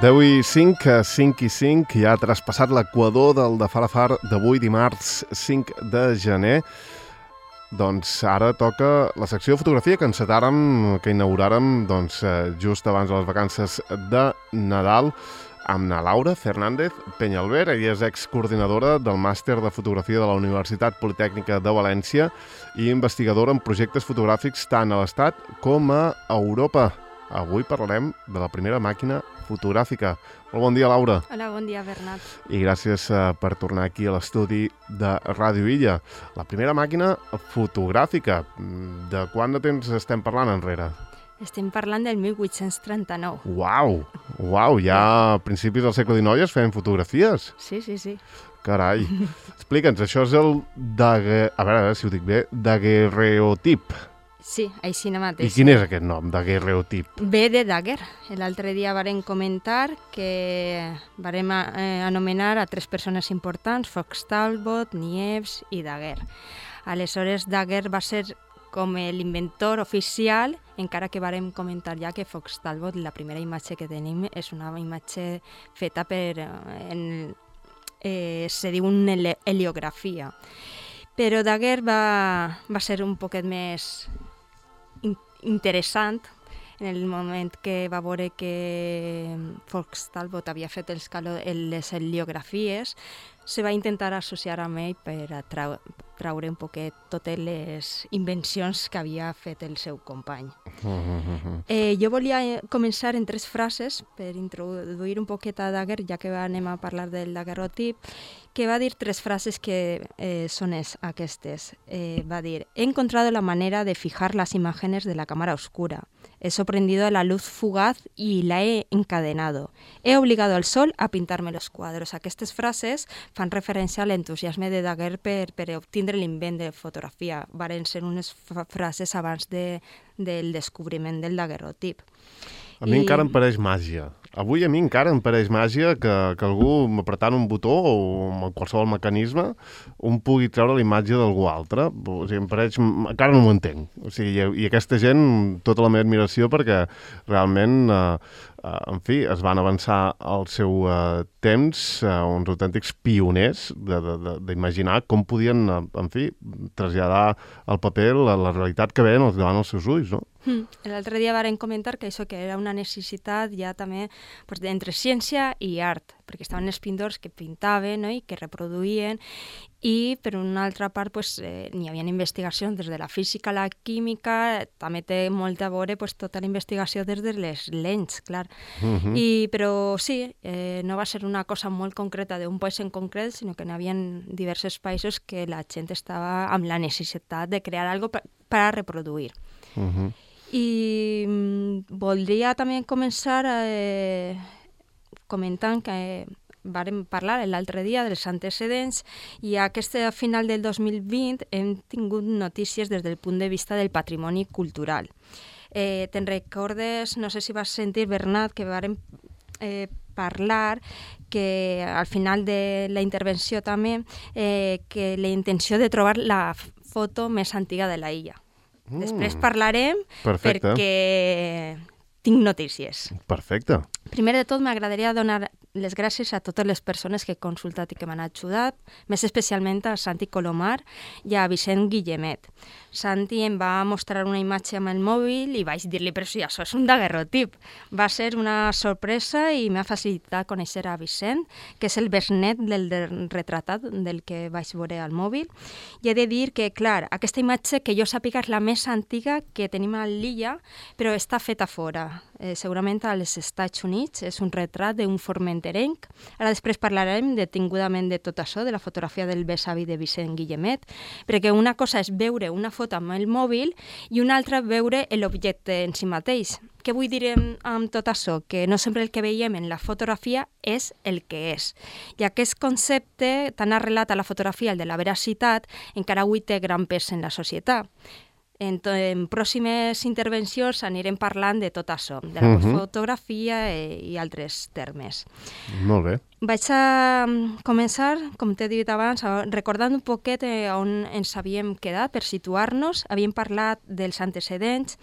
10 i 5, 5 i 5, ja ha traspassat l'equador del de Falafar d'avui dimarts 5 de gener. Doncs ara toca la secció de fotografia que encetàrem, que inauguràrem just abans de les vacances de Nadal amb na Laura Fernández Peñalver. Ella és excoordinadora del màster de fotografia de la Universitat Politècnica de València i investigadora en projectes fotogràfics tant a l'Estat com a Europa. Avui parlarem de la primera màquina fotogràfica. Molt bon dia, Laura. Hola, bon dia, Bernat. I gràcies per tornar aquí a l'estudi de Ràdio Illa. La primera màquina fotogràfica. De quant de temps estem parlant enrere? Estem parlant del 1839. Uau, ja a principis del segle XIX es feien fotografies. Sí. Carai. Explica'ns, això és el a veure si ho dic bé, daguerreotip. Sí, així mateix. I quin és aquest nom, daguerreotip? Ve de Daguer. L'altre dia vàrem comentar que vàrem anomenar a 3 persones importants, Fox Talbot, Niepce i Daguer. Aleshores, Daguer va ser com l'inventor oficial, encara que vàrem comentar ja que Fox Talbot, la primera imatge que tenim, és una imatge feta per... se diu una heliografia. Però Daguer va ser un poquet més interessant en el moment que va veure que Fox Talbot havia fet les heliografies. Se va intentar associar amb ell per traure un poquet totes les invencions que havia fet el seu company. Jo volia començar en 3 frases per introduir un poquet a Daguer, ja que anem a parlar del daguerrotip, que va dir 3 frases que són aquestes. Va dir: he encontrado la manera de fijar las imágenes de la cámara oscura. He sorprendido la luz fugaz y la he encadenado. He obligado al sol a pintarme los cuadros. Aquestes frases fan referència a l'entusiasme de Daguer per obtindre l'invent de fotografia. Varen ser unes frases abans del descobriment del daguerrotip. A mi encara em pareix màgia. Avui a mi encara em pareix màgia que algú, apretant un botó o amb qualsevol mecanisme, pugui treure la imatge d'algú altre. O sigui, em pareix... Encara no m'ho entenc. O sigui, i aquesta gent, tota la meva admiració, perquè realment, en fi, es van avançar al seu temps, uns autèntics pioners d'imaginar com podien, en fi, traslladar al paper la realitat que veien davant els seus ulls, no? L'altre dia varen comentar que això que era una necessitat ja també entre ciència i art, perquè estaven els pintors que pintaven, no?, i que reproduïen, i per una altra part n'hi havia investigacions des de la física a la química, també té molt a veure tota la investigació des de les lents, clar. Però sí, no va ser una cosa molt concreta d'un país en concret, sinó que n'hi havia diversos països que la gent estava amb la necessitat de crear alguna cosa per a reproduir. I voldria també començar comentant que vàrem parlar l'altre dia dels antecedents i a final del 2020 hem tingut notícies des del punt de vista del patrimoni cultural. Te'n recordes, no sé si vas sentir, Bernat, que vàrem parlar que al final de la intervenció també que la intenció de trobar la foto més antiga de la illa. Després parlarem. Perfecte. Perquè tinc notícies. Perfecte. Primer de tot, m'agradaria donar les gràcies a totes les persones que he consultat i que m'han ajudat, més especialment a Santi Colomar i a Vicent Guillemet. Santi em va mostrar una imatge amb el mòbil i vaig dir-li, però si això és un daguerrotip. Va ser una sorpresa i m'ha facilitat conèixer a Vicent, que és el besnet del retratat del que vaig veure al mòbil. I he de dir que, clar, aquesta imatge que jo sàpiga és la més antiga que tenim a l'illa, però està feta fora. Segurament als Estats Units, és un retrat d'un formenterenc. Ara després parlarem detingudament de tot això, de la fotografia del besavi de Vicent Guillemet, perquè una cosa és veure una foto amb el mòbil i una altra veure l'objecte en si mateix. Què vull dir amb tot això? Que no sempre el que veiem en la fotografia és el que és. I aquest concepte tan arrelat a la fotografia, el de la veracitat, encara avui té gran pes en la societat. En pròximes intervencions anirem parlant de tot això, de la fotografia i altres termes. Molt bé. Vaig a començar, com t'he dit abans, recordant un poquet on ens havíem quedat per situar-nos. Havíem parlat dels antecedents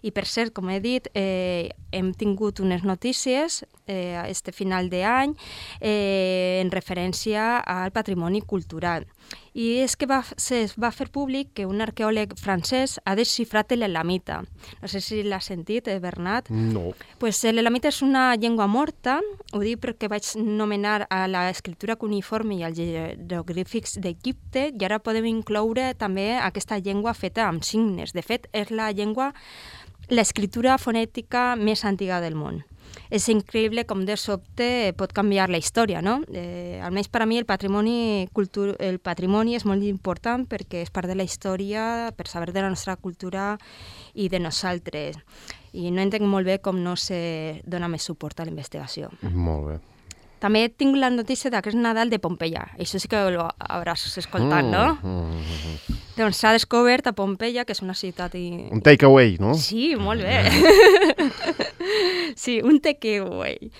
i, per cert, com he dit, hem tingut unes notícies este final d'any en referència al patrimoni cultural. I és que es va fer públic que un arqueòleg francès ha desxifrat l'elamita. No sé si l'has sentit, Bernat? No. Pues l'elamita és una llengua morta, ho dic perquè vaig nomenar a l'escriptura cuneiforme i als jeroglífics d'Egipte, i ara podem incloure també aquesta llengua feta amb signes. De fet, és l'escriptura fonètica més antiga del món. És increïble com de sobte pot canviar la història, no? Almenys per a mi el patrimoni és molt important perquè és part de la història, per saber de la nostra cultura i de nosaltres. I no entenc molt bé com no se dona més suport a la investigació. Molt bé. També tinc la notícia d'aquest Nadal de Pompeia. Això sí que ho hauràs escoltat, no? Doncs s'ha descobert a Pompeia, que és una ciutat... Un takeaway, no? Sí, molt bé. Sí, un takeaway.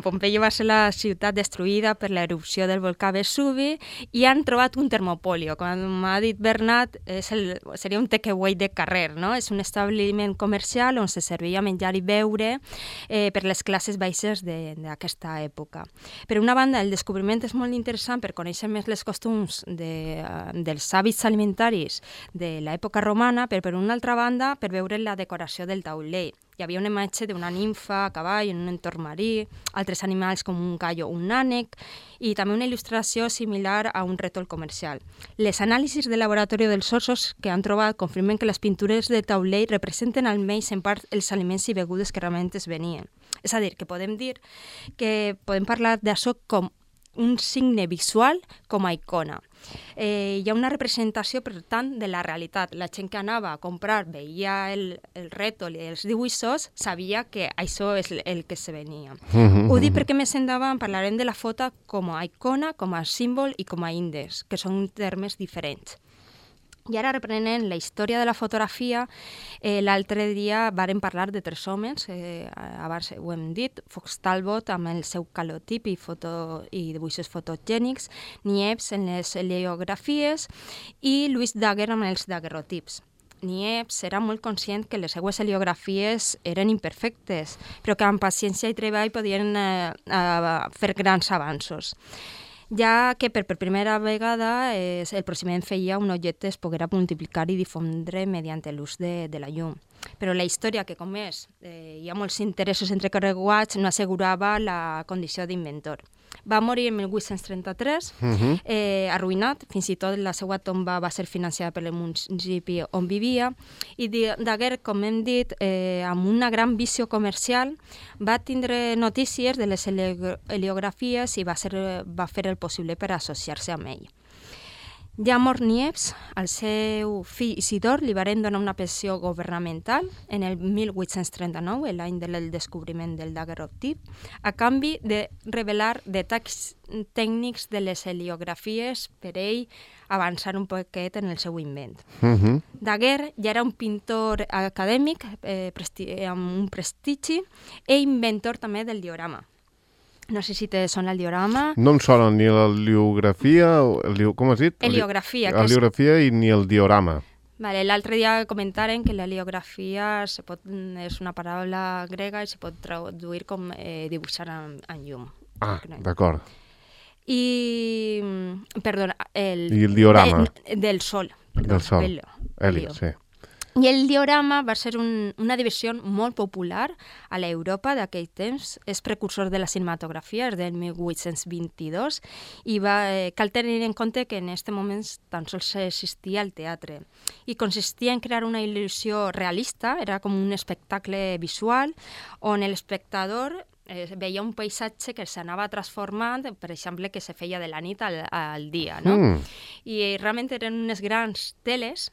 Pompeia va ser la ciutat destruïda per l'erupció del volcà Vesuvi i han trobat un termopolio. Com ha dit Bernat, seria un takeaway de carrer, no? És un establiment comercial on se servia menjar i beure per les classes baixes d'aquesta època. Per una banda, el descobriment és molt interessant per conèixer més les costums dels hàbits alimentaris de l'època romana, però per una altra banda, per veure la decoració del taulell. Hi havia una imatge d'una nimfa a cavall en un entorn marí, altres animals com un gallo o un ànec, i també una il·lustració similar a un rètol comercial. Les anàlisis de laboratori dels ossos que han trobat confirmen que les pintures de taulell representen almenys en part els aliments i begudes que realment es venien. És a dir, que podem parlar d'això com un signe visual com a icona. Hi ha una representació, per tant, de la realitat. La gent que anava a comprar veia el rètol i els dibuixos, sabia que això és el que se venia. Ho dic perquè més endavant parlarem de la foto com a icona, com a símbol i com a índex, que són termes diferents. I ara reprenent la història de la fotografia, l'altre dia vàrem parlar de 3 homes, abans ho hem dit, Fox Talbot amb el seu calotip i dibuixos fotogènics, Niepce en les heliografies i Louis Daguerre amb els daguerrotips. Niepce era molt conscient que les seues heliografies eren imperfectes, però que amb paciència i treball podien fer grans avanços, ja que per primera vegada el procediment feia un objecte es poguera multiplicar i difondre mediante l'ús de la llum. Però la història, que com és, hi ha molts interessos entrecorreguats, no assegurava la condició d'inventor. Va morir en 1833, arruïnat, fins i tot la seva tomba va ser financiada per el municipi on vivia, i Daguerre, com hem dit, amb una gran visió comercial, va tindre notícies de les heliografies i va fer el possible per associar-se amb ell. Ja mort Niepce, al seu fill Isidor li varen donar una pensió governamental en el 1839, l'any del descobriment del daguerrotip, a canvi de revelar detalls tècnics de les heliografies per ell avançar un poquet en el seu invent. Daguerre ja era un pintor acadèmic amb un prestigi i inventor també del diorama. No sé si te sona el diorama. No em sona ni l'heliografia, com has dit? Heliografia. Heliografia i ni el diorama. Vale, l'altre dia comentaren que l'heliografia és una paraula grega i se pot traduir com dibuixar en llum. Ah, d'acord. I, perdona, I el diorama. Del sol. Del sol. Helio, sí. I el diorama va ser una divisió molt popular a l'Europa d'aquell temps. És precursor de la cinematografia, és del 1822, i cal tenir en compte que en aquest moment tan sols existia el teatre. I consistia en crear una il·lusió realista, era com un espectacle visual, on l'espectador veia un paisatge que s'anava transformant, per exemple, que se feia de la nit al dia, no? I realment eren unes grans teles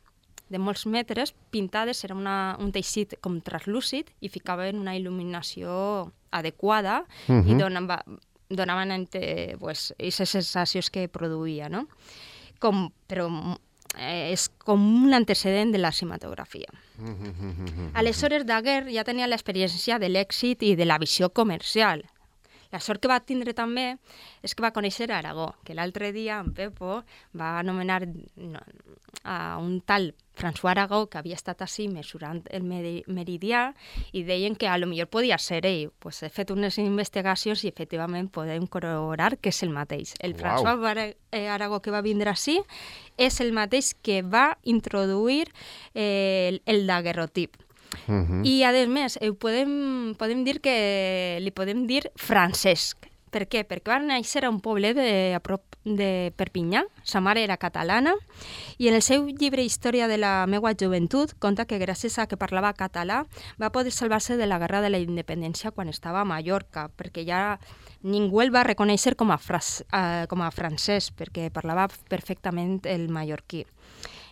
de molts metres, pintades, era un teixit com translúcid i ficaven una il·luminació adequada i donaven aquestes sensacions que produïa, no? Però és com un antecedent de la cinematografia. Aleshores, Daguerre ja tenia l'experiència de l'èxit i de la visió comercial. La sort que va tindre també és que va conèixer Aragó, que l'altre dia en Pepo va anomenar a un tal François Aragó, que havia estat així mesurant el meridià, i deien que a lo millor podia ser ell. Pues he fet unes investigacions i efectivament podem corroborar que és el mateix. El François Aragó que va vindre així és el mateix que va introduir el daguerrotip. I, a més, podem dir que li podem dir Francesc. Per què? Perquè va néixer a un poblet a prop de Perpinyà, sa mare era catalana, i en el seu llibre Història de la meua joventut conta que gràcies a que parlava català va poder salvar-se de la guerra de la independència quan estava a Mallorca, perquè ja ningú el va reconèixer com a francès, perquè parlava perfectament el mallorquí.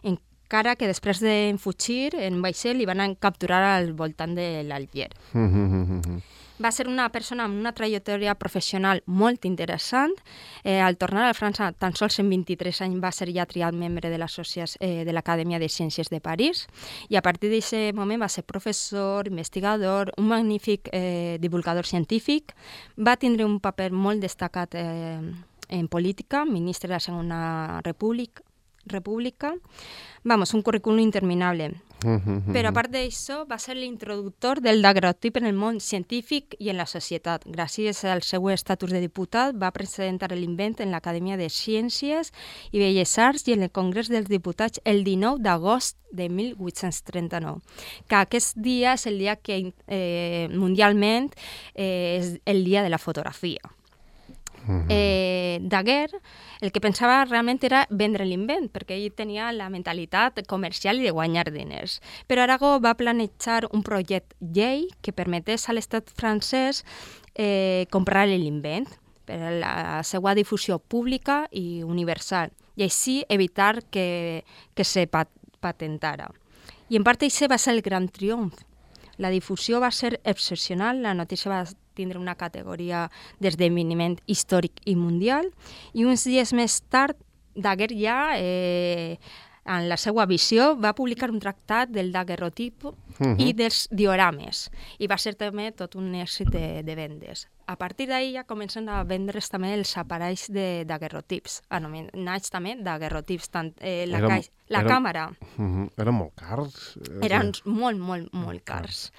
Encara que després d'enfugir en vaixell li van capturar al voltant de l'Alger. Va ser una persona amb una trajectòria professional molt interessant. Al tornar a França, tan sols en 23 anys va ser ja triat membre de l'Acadèmia de Ciències de París, i a partir d'aquest moment va ser professor, investigador, un magnífic divulgador científic. Va tindre un paper molt destacat en política, ministre de la Segona República. Un currículum interminable. Però a part d'això, va ser l'introductor del daguerrotip en el món científic i en la societat. Gràcies al seu estatus de diputat, va presentar l'invent en l'Acadèmia de Ciències i Belles Arts i en el Congrés dels Diputats el 19 d'agost de 1839, que aquest dia és el dia que mundialment és el dia de la fotografia. Daguerre el que pensava realment era vendre l'invent, perquè ell tenia la mentalitat comercial i de guanyar diners. Però Aragó va planejar un projecte llei que permetés a l'estat francès comprar l'invent per a la seva difusió pública i universal, i així evitar que se patentara. I en part això va ser el gran triomf. La difusió va ser excepcional, la notícia va tindre una categoria d'esdeveniment històric i mundial, i uns dies més tard, Daguerre ja, en la seva visió, va publicar un tractat del daguerrotip i dels diorames, i va ser també tot un èxit de vendes. A partir d'ahir ja comencen a vendre's també els aparells de daguerrotips, anomenats també daguerrotips, tant la càmera. Eren molt cars? Eren molt cars.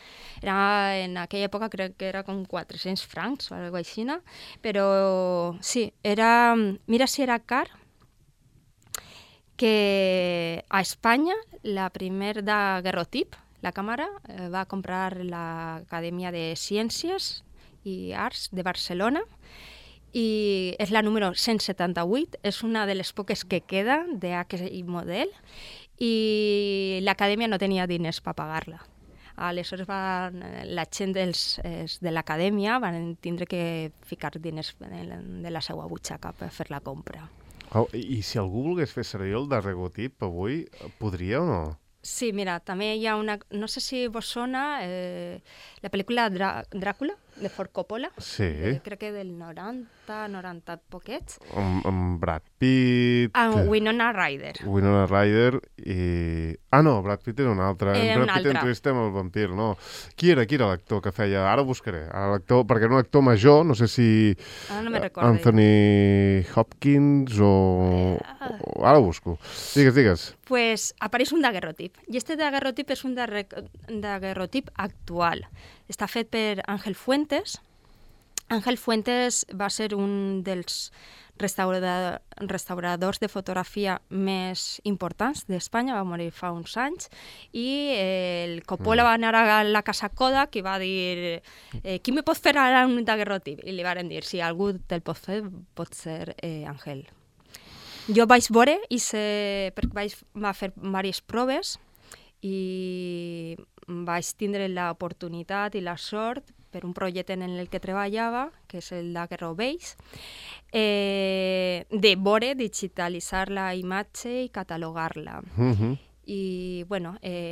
En aquella època crec que era com 400 francs o alguna cosa així, però sí, mira si era car, que a Espanya la primer daguerrotip, la càmera, va comprar l'Acadèmia de Ciències i Arts de Barcelona, i és la número 178, és una de les poques que queda d'aquest model, i l'Acadèmia no tenia diners per pagar-la. Aleshores la gent de l'Acadèmia van tindre que ficar diners de la seva butxaca per fer la compra. I si algú volgués fer servir el daguerrotip avui, podria o no? Sí, mira, també hi ha una... No sé si vos sona la pel·lícula Dràcula, de Ford Coppola. Sí. Crec que del 90 poquets. Amb Brad Pitt... Winona Ryder. Winona Ryder i... no, Brad Pitt era un altre. Brad Pitt entrevista amb el vampir, no. Qui era l'actor que feia? Ara ho buscaré. L'actor, perquè era un actor major, no sé si... no me recordo. Anthony Hopkins o... Ara ho busco. Digues. Pues apareix un daguerrotip. I este daguerrotip és un daguerrotip actual. Està fet per Ángel Fuentes. Ángel Fuentes va ser un dels restauradors de fotografia més importants d'Espanya, va morir fa uns anys, i el Coppola va anar a la casa Kodak i va dir qui me pot fer ara un daguerrotip? I li van dir, si algú te'l pot fer, pot ser Ángel. Jo vaig veure, perquè va fer diverses proves, i vaig tindre l'oportunitat i la sort per un projecte en el que treballava, que és el Daguerrobase, de veure, digitalitzar la imatge i catalogar-la. I,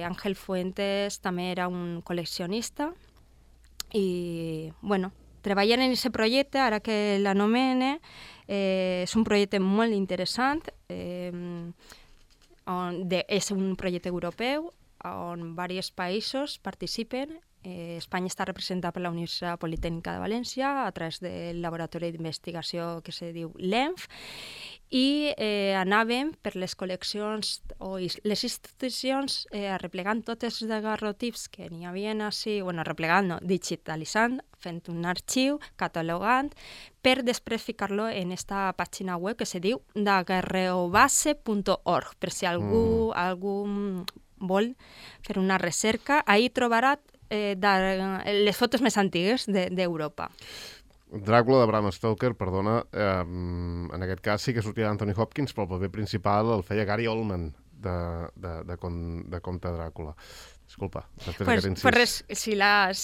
Ángel Fuentes també era un col·leccionista i, treballant en aquest projecte, ara que l'anomene, és un projecte molt interessant. és un projecte europeu on diversos països participen. Espanya està representada per la Universitat Politècnica de València a través del laboratori d'investigació que se diu LENF, i anàvem per les col·leccions o les institucions arreplegant tots els daguerrotips que n'hi havia així, arreplegant no, digitalitzant, fent un arxiu, catalogant, per després ficar-lo en esta pàgina web que se diu daguerreobase.org, per si algú vol fer una recerca, ahí trobarà les fotos més antigues d'Europa. Dràcula de Bram Stoker, perdona, en aquest cas sí que sortia d'Anthony Hopkins, però el paper principal el feia Gary Oldman, de Comte Dràcula. Disculpa, després d'aquest incís. Pues res, si la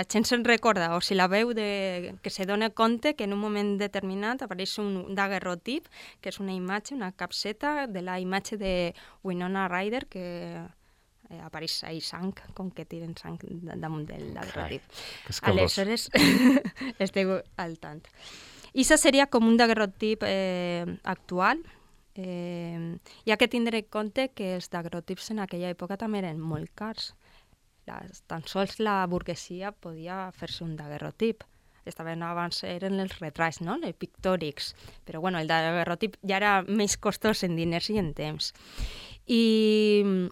gent se'n recorda o si la veu que se dona compte que en un moment determinat apareix un daguerrotip, que és una imatge, una capseta de la imatge de Winona Ryder, que apareix ahí sang, com que tiren sang damunt del daguerrotip. Aleshores, esteu al tant. I això seria com un daguerrotip actual. Hi ha que tindre en compte que els daguerrotips en aquella època també eren molt cars. Tan sols la burguesia podia fer-se un daguerrotip. Abans eren els retrats, no? Els pictòrics. Però el daguerrotip ja era més costós en diners i en temps. El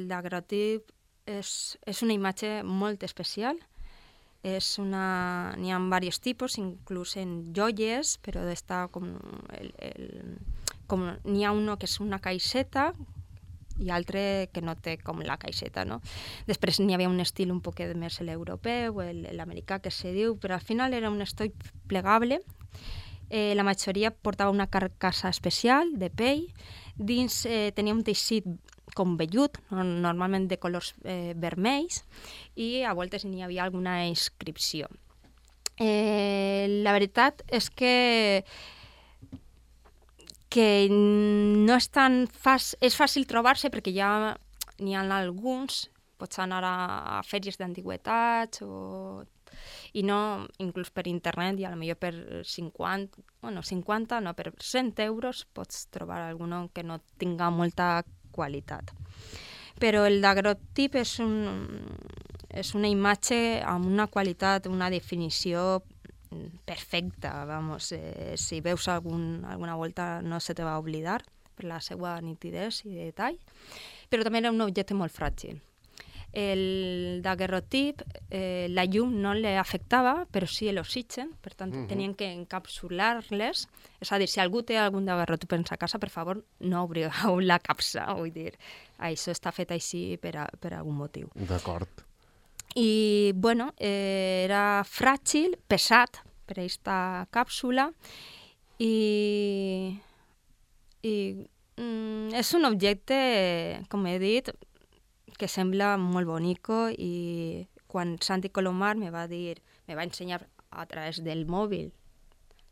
daguerrotip és una imatge molt especial. N'hi ha diversos tipus, inclús en joies, però n'hi ha uno que és una caixeta i altre que no té com la caixeta, no? Després n'hi havia un estil un poquet més l'europeu, l'americà que se diu, però al final era un estoig plegable. La majoria portava una carcassa especial de pell, dins tenia un teixit com vellut, normalment de colors vermells, i a voltes n'hi havia alguna inscripció. La veritat és que no és tan fàcil, és fàcil trobar-se perquè ja n'hi ha alguns, pots anar a fèries d'antigüetats i no, inclús per internet, i potser per 50, no, per 100 euros pots trobar algun que no tinga molta qualitat. Però el daguerrotip és una imatge amb una qualitat, una definició perfecta, si veus alguna volta no se te va oblidar per la seva nitidesa i detall, però també era un objecte molt fràgil. El daguerrotip, la llum no l'afectava, però sí l'oxigen, per tant tenien que encapsular-les. És a dir, si algú té algun daguerrotip en sa casa, per favor, no obrigueu la capsa, vull dir, això està fet així per algun motiu. D'acord. I, era fràgil, pesat per aquesta càpsula, i és un objecte, com he dit, que sembla molt bonico, i quan Santi Colomar me va ensenyar a través del mòbil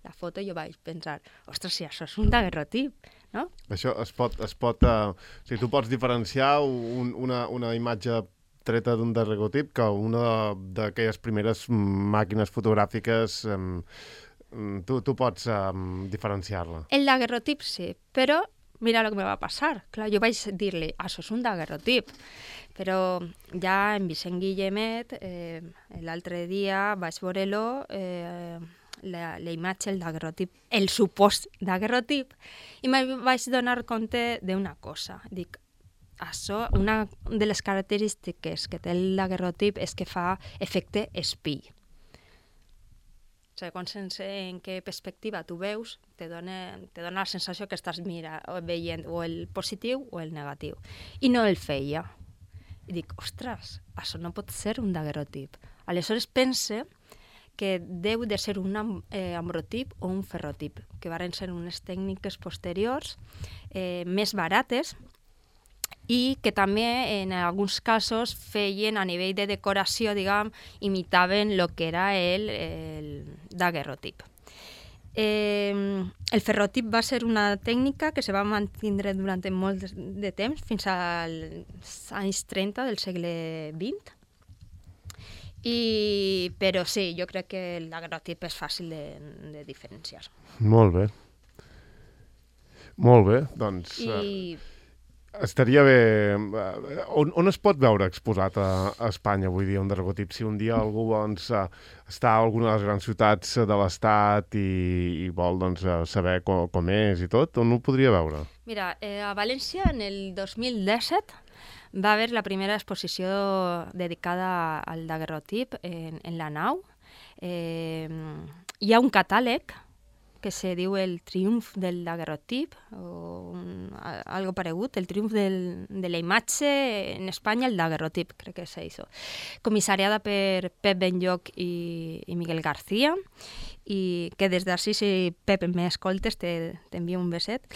la foto, jo vaig pensar, ostres, si això és un daguerrotip, no? Això es pot tu pots diferenciar una imatge treta d'un daguerrotip que una d'aquelles primeres màquines fotogràfiques, tu pots diferenciar-la. El daguerrotip sí, però mira el que me va passar. Clar, jo vaig dir-li, això és un daguerrotip. Però ja en Vicent Guillemet, l'altre dia vaig veure-lo, la imatge, el daguerrotip, el supòst daguerrotip, i me vaig donar compte d'una cosa. Dic, això, una de les característiques que té el daguerrotip és que fa efecte espill. Segons en què perspectiva tu veus, te dona la sensació que estàs veient o el positiu o el negatiu. I no el feia. I dic, ostres, això no pot ser un daguerrotip. Aleshores pense que deu de ser un ambrotip o un ferrotip, que van ser unes tècniques posteriors més barates, i que també en alguns casos feien a nivell de decoració, imitaven el que era el daguerrotip. El ferrotip va ser una tècnica que se va mantindre durant molt de temps, fins als anys 30 del segle XX. Però sí, jo crec que el daguerrotip és fàcil de diferenciar. Molt bé. Molt bé, doncs... I Estaria bé... On es pot veure exposat a Espanya, vull dir, un daguerrotip? Si un dia algú doncs, està a alguna de les grans ciutats de l'Estat i vol doncs, saber com és i tot, on ho podria veure? mira, a València en el 2017 va haver la primera exposició dedicada al daguerrotip en la nau. Hi ha un catàleg que se diu el triomf del daguerrotip, o algo paregut, el triomf de la imatge en Espanya, el daguerrotip, crec que és això. Comissariada per Pep Benlloch i Miguel García, i que des d'ací, si Pep m'escoltes, t'envio un beset.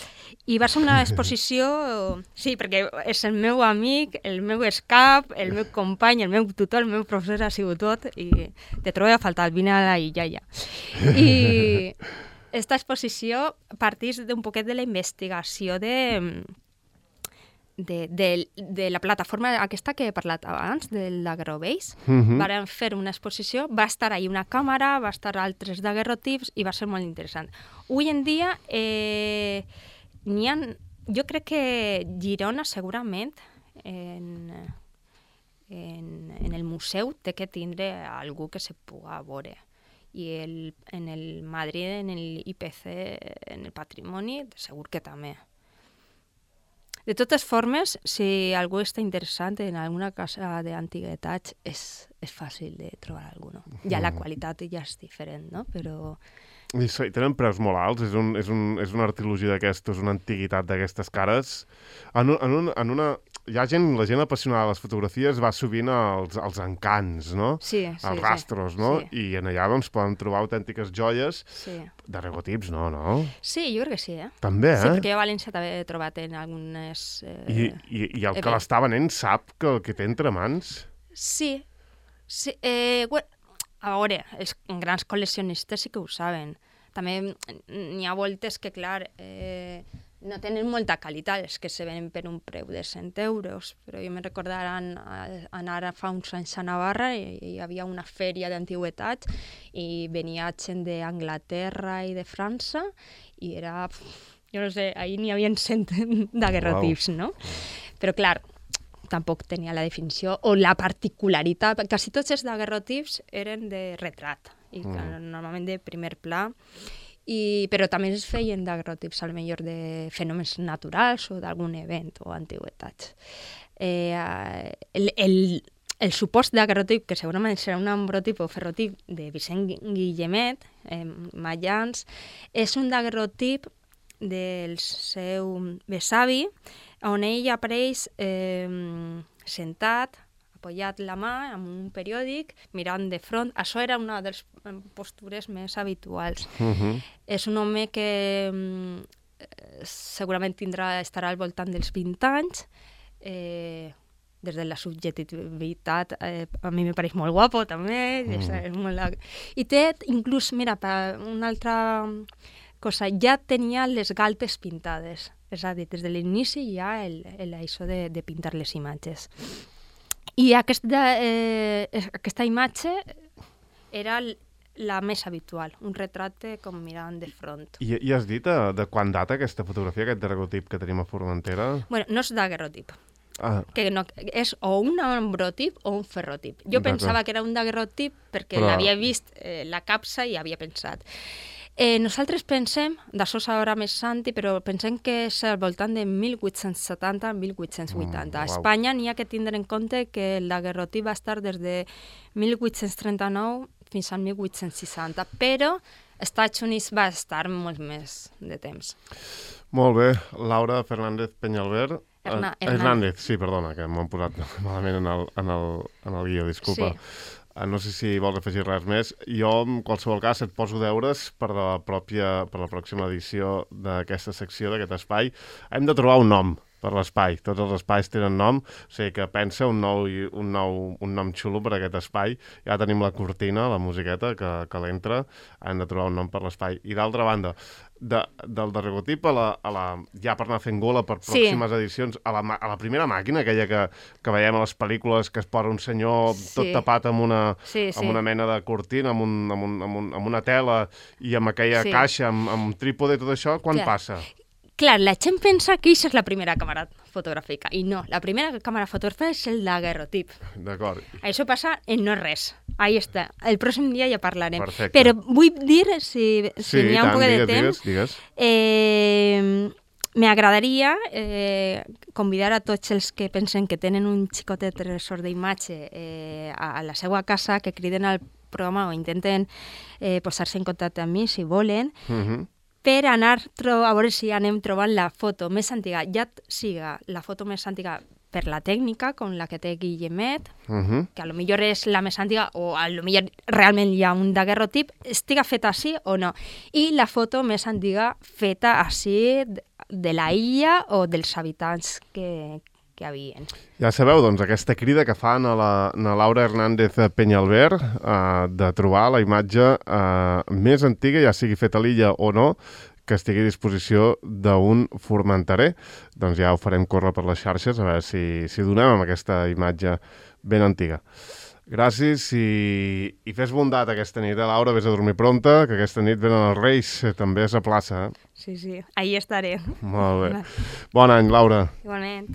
I va ser una exposició, sí, perquè és el meu amic, el meu escap, el meu company, el meu tutor, el meu professor ha sigut tot, i te trobo a faltar, vine a la illa ja. I esta exposició partís d'un poquet de la investigació de la plataforma aquesta que he parlat abans, del Daguerrobase. Varen fer una exposició, va estar ahí una càmera, va estar altres daguerrotips i va ser molt interessant. Avui en dia n'hi ha, jo crec que Girona segurament en el museu té que tindre algú que se puga veure. I en el Madrid, en el IPC, en el Patrimoni, segur que també. De totes formes, si algú està interessant en alguna casa d'antiguitats, és fàcil de trobar alguna. Ja la qualitat ja és diferent, no? Però... I tenen preus molt alts, és una artilogia d'aquestes, una antiguitat d'aquestes cares. La gent apassionada de les fotografies va sovint als encants, no? Sí, als rastros, no? Sí. I en allà doncs, poden trobar autèntiques joies sí. de daguerrotips, no? Sí, jo crec que sí, També, Sí, perquè jo a València també he trobat en algunes... I el que l'està venent sap que el que té entre mans? Sí. A veure, els grans col·leccionistes sí que ho saben. També n'hi ha voltes que, clar, no tenen molta qualitat, els que se venen per un preu de 100 euros, però jo me recordarà anar fa uns anys a Navarra i hi havia una fèria d'antigüetats i venia gent d'Anglaterra i de França i era, jo no sé, ahir n'hi havia 100 daguerrotips, no? Però clar, tampoc tenia la definició o la particularitat. Quasi tots els daguerrotips eren de retrat, i normalment de primer pla, però també es feien daguerrotips al millor de fenòmens naturals o d'algun event o antiguitats. El supost daguerrotip, que segurament serà un ambrotip o ferrotip de Vicent Guillemet, Mayans, és un daguerrotip del seu besavi, on ell apareix sentat, apoyat la mà amb un periòdic, mirant de front. Això era una de les postures més habituals. És un home que segurament estarà al voltant dels 20 anys, des de la subjectivitat, a mi me pareix molt guapo també, i té inclús, mira, una altra cosa, ja tenia les galtes pintades, és a dir, des de l'inici ja això de pintar les imatges. I aquesta imatge era la més habitual, un retrat com mirant de front. I has dit de quan data aquesta fotografia, aquest daguerrotip que tenim a Formentera? Bueno, no és daguerrotip. Que no, és o un ambrotip o un ferrotip. Jo pensava que era un daguerrotip perquè l'havia vist la capsa i havia pensat. Nosaltres pensem, d'això sabrà més Santi, però pensem que és al voltant de 1870-1880. A Espanya n'hi ha que tindre en compte que el daguerrotip va estar des de 1839 fins al 1860, però als Estats Units va estar molt més de temps. Molt bé. Laura Fernández Peñalver. Hernández, sí, perdona, que m'ho han posat malament en el guió, disculpa. Sí. No sé si vols afegir res més. Jo, en qualsevol cas, et poso deures per la pròxima edició d'aquesta secció, d'aquest espai. Hem de trobar un nom per l'espai. Tots els espais tenen nom, o sigui que pensa un nom xulo per aquest espai. Ja tenim la cortina, la musiqueta que l'entra. Hem de trobar un nom per l'espai. I d'altra banda, del daguerrotip ja per anar fent gola per pròximes edicions, a la primera màquina, aquella que veiem a les pel·lícules, que es posa un senyor tot tapat amb una mena de cortina, amb una tela i amb aquella caixa, amb trípode, tot això, quan passa? Clar, la gent pensa que aquesta és la primera càmera fotogràfica, i no, la primera càmera fotogràfica és el daguerrotip. D'acord. Això passa en no res. Ahí està. El pròxim dia ja parlarem. Perfecte. Però vull dir, si n'hi ha un poc de temps, digues. m'agradaria convidar a tots els que pensen que tenen un xicotet tresor d'imatge a la seva casa, que criden al programa o intenten posar-se en contacte amb mi, si volen, per anar a veure si anem trobant la foto més antiga, ja siga la foto més antiga per la tècnica, com la que té Guillemet, que a lo millor és la més antiga, o a lo millor realment hi ha un daguerrotip, estiga feta així o no. I la foto més antiga feta així de la illa o dels habitants que havien. Ja sabeu, doncs, aquesta crida que fan a la Laura Hernández Peñalver de trobar la imatge més antiga, ja sigui feta a l'illa o no, que estigui a disposició d'un formenterer. Doncs ja ho farem córrer per les xarxes, a veure si donem amb aquesta imatge ben antiga. Gràcies i fes bondat aquesta nit, Laura, vés a dormir pronta, que aquesta nit venen els Reis, també és a plaça. Sí, ahí estaré. Molt bé. Bon any, Laura. Igualment.